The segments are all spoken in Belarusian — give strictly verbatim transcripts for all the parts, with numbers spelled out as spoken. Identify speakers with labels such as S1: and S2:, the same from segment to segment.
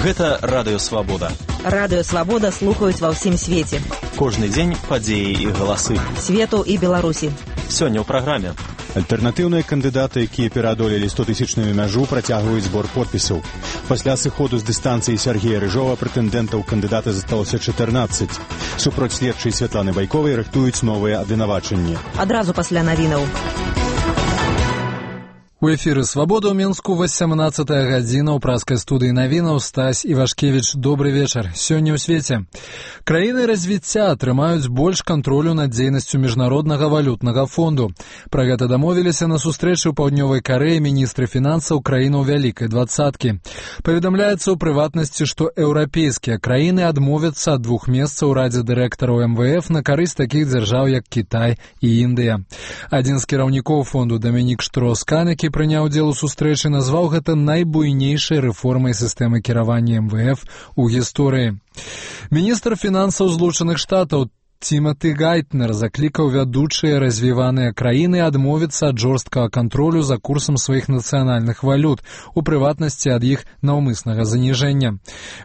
S1: Гэта Радыё Свабода.
S2: Радыё Свабода слухаюць ва ўсім свеце.
S1: Кожны дзень падзеі і галасы.
S2: Свету і Беларусі.
S1: Сёння ў праграме.
S3: Альтэрнатыўныя кандыдаты, якія пераадолелі стотысячную мяжу, працягваюць збор подпісаў. Пасля сыходу з дыстанцыі Сергея Рыжова прэтэндэнтаў кандыдата засталося чатырнаццаць. Супроць следчай Святланы Байковай рыхтуюць новыя абвінавачанні.
S2: Адразу пасля навінаў.
S4: У эфіры «Свабода» ў Менску васямнаццатая гадзіна ў праскай студыі навінаў. Стась Івашкевіч, добры вечар. Сёння ў свеце. Краіны развіцця атрымаюць больш кантролю над дзейнасцю міжнароднага валютнага фонду. Пра гэта дамовіліся на сустрэчы ў Паўднёвай Карэі міністры фінансаў краінаў Вялікай двадцаткі. Паведамляецца ў прыватнасці, што еўрапейскія краіны адмовяцца ад двух месцаў у радзе дырэктараў эм вэ эф на карысць такіх дзяржаў, як Кітай і Індыя. Адзін з кіраўнікоў фонду Дамінік Штроскан, які прыняў удзел у сустрэчы, назваў гэта найбуйнейшай рэформай сістэмы кіравання эм вэ эф у гісторыі. Міністр фінансаў Злучаных Штатаў Тимати Гайтнер заклікаў вядучыя развіваныя краіны адмовіцца ад жорсткага кантролю за курсам сваіх нацыянальных валют, у прыватнасці ад іх наўмыснага заніжэння.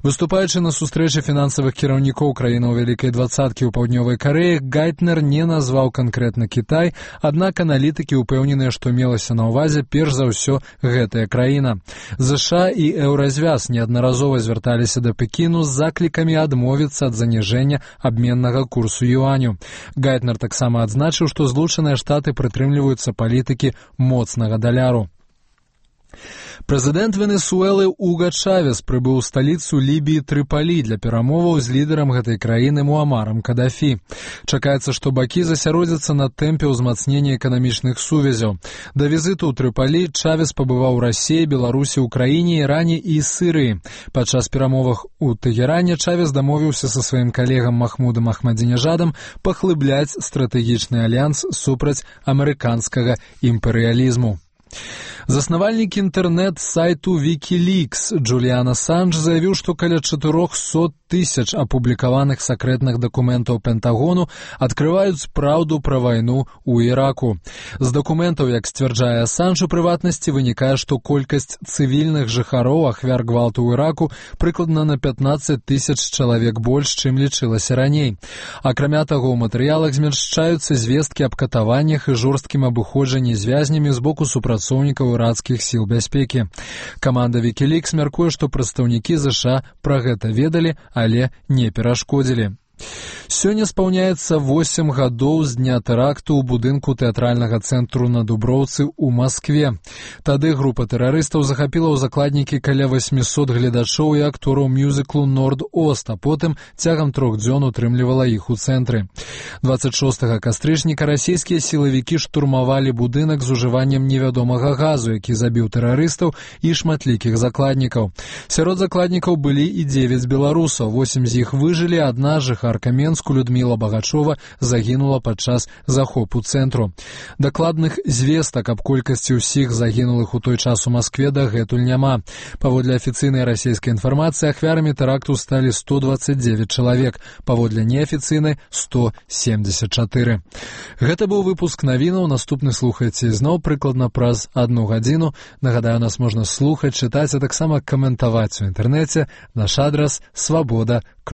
S4: Выступаючы на сустрэчы фінансавых кіраўнікоў краінаў Вялікай двадцаткі ў Паўднёвай Карэі, Гайтнер не назваў канкрэтна Кітай, аднак аналітыкі ўпэўненыя, што мелася на ўвазе перш за ўсё гэтая краіна. ЗША і Еўразвяз неаднаразова звярталіся да Пекіну з заклікамі адмовіцца ад заніжэння абменнага курсу юаню. Гайтнер таксама адзначыў, што Злучаныя Штаты прытрымліваюцца палітыкі моцнага даляру. Прэзідэнт Венесуэлы Уга Чавес прыбыў у сталіцу Лібіі Трыпалі для перамоваў з лідарам гэтай краіны Муамарам Кадафі. Чакаецца, што бакі засяродзяцца на тэмпе ўзмацнення эканамічных сувязяў. Да візіту ў Трыпалі Чавес пабываў у Расіі, Беларусі, Украіне, Іране і Сірыі. Падчас перамовах у Тэгеране Чавес дамовіўся са сваім калегам Махмудам Ахмадзінежадам паглыбляць стратэгічны альянс супраць амерыканскага імперыялізму. Заснавальнік інтэрнэт-сайту Wikileaks Джуліан Асанж заявіў, што каля чатырохсот тысяч апублікаваных сакрэтных дакументаў Пентагону адкрываюць праўду пра вайну ў Іраку. З дакументаў, як сцвярджае Асанж, у прыватнасці вынікае, што колькасць цывільных жыхароў ахвяр гвалту ў Іраку прыкладна на пятнаццаць тысяч чалавек больш, чым лічылася раней. Акрамя таго, ў матэрыялах змяшчаюцца звесткі аб катаваннях і жорсткім абыходжанні з вязнямі з боку супрацоўнікаў іракскіх сіл бяспекі. Каманда Wikileaks мяркуе, што прадстаўнікі ЗША пра гэта ведалі, але не перашкодзілі. Сёння спаўняецца восем гадоў з дня тэракту ў будынку тэатральнага цэнтру на Дуброўцы ў Маскве. Тады група тэрарыстаў захапіла ў закладнікі каля восьмісот гледачоў і актораў мюзіклу «Норд-Ост», а потым цягам трох дзён утрымлівала іх у цэнтры. дваццаць шостага кастрычніка расійскія сілавікі штурмавалі будынак з ужываннем невядомага газу, які забіў тэрарыстаў і шматлікіх закладнікаў. Сярод закладнікаў былі і дзевяць беларусаў, восем з іх выжылі, адна жыхарка Менску Людміла Багачова загінула падчас захопу цэнтру. Дакладных звестак аб колькасці ўсіх загінулых у той час у Маскве дагэтуль няма. Паводле афіцыйнай расійскай інфармацыі, ахвярамі тэракту сталі сто дваццаць дзевяць чалавек, паводле неафіцыйнай сто семьдесят чатыры. Гэта быў выпуск навінаў, наступны слухайце зноў прыкладна праз адну гадзіну. Нагадаю, нас можна слухаць, чытаць, а таксама каментаваць у інтэрнэце. Наш адрас свабода.